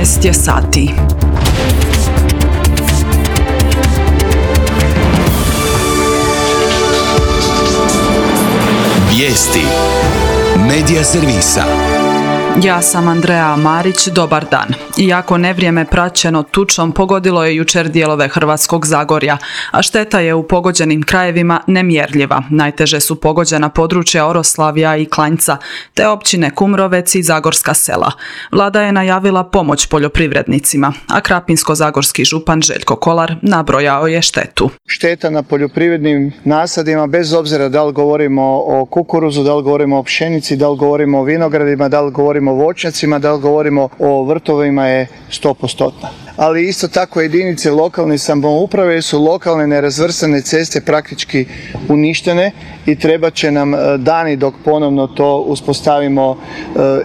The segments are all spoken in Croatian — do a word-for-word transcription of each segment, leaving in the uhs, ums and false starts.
šesnaest je sati. Vijesti Medija servisa. Ja sam Andreja Marić, dobar dan. Iako nevrijeme praćeno tučom pogodilo je jučer dijelove Hrvatskog Zagorja, a šteta je u pogođenim krajevima nemjerljiva. Najteže su pogođena područja Oroslavja i Klanjca, te općine Kumrovec i Zagorska Sela. Vlada je najavila pomoć poljoprivrednicima, a krapinsko-zagorski župan Željko Kolar nabrojao je štetu. Šteta na poljoprivrednim nasadima, bez obzira da li govorimo o kukuruzu, da li govorimo o pšenici, da li govorimo o vinogradima, da li govorimo o voćnjacima, da li govorimo o vrtovima, je sto posto. Ali isto tako jedinice lokalne samouprave su lokalne nerazvrstane ceste praktički uništene i treba će nam dani dok ponovno to uspostavimo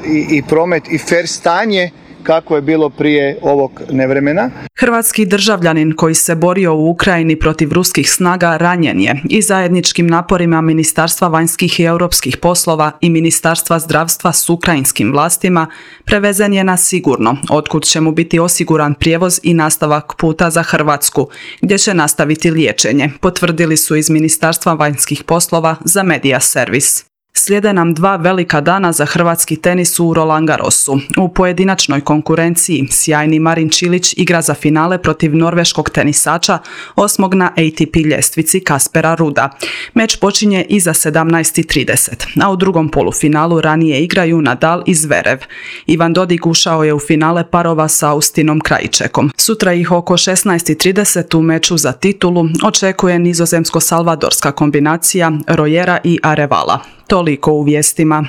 i, i promet i fer stanje kako je bilo prije ovog nevremena. Hrvatski državljanin koji se borio u Ukrajini protiv ruskih snaga ranjen je i zajedničkim naporima Ministarstva vanjskih i europskih poslova i Ministarstva zdravstva s ukrajinskim vlastima prevezen je na sigurno, otkud će mu biti osiguran prijevoz i nastavak puta za Hrvatsku, gdje će nastaviti liječenje, potvrdili su iz Ministarstva vanjskih poslova za Medija servis. Slijede nam dva velika dana za hrvatski tenis u Roland Garrosu. U pojedinačnoj konkurenciji sjajni Marin Čilić igra za finale protiv norveškog tenisača, osmog na A T P ljestvici Kaspera Ruda. Meč počinje iza sedamnaest i trideset, a u drugom polufinalu ranije igraju Nadal i Zverev. Ivan Dodig ušao je u finale parova sa Austinom Krajčekom. Sutra ih oko šesnaest i trideset u meču za titulu očekuje nizozemsko-salvadorska kombinacija Rojera i Arevala. Toliko u vijestima.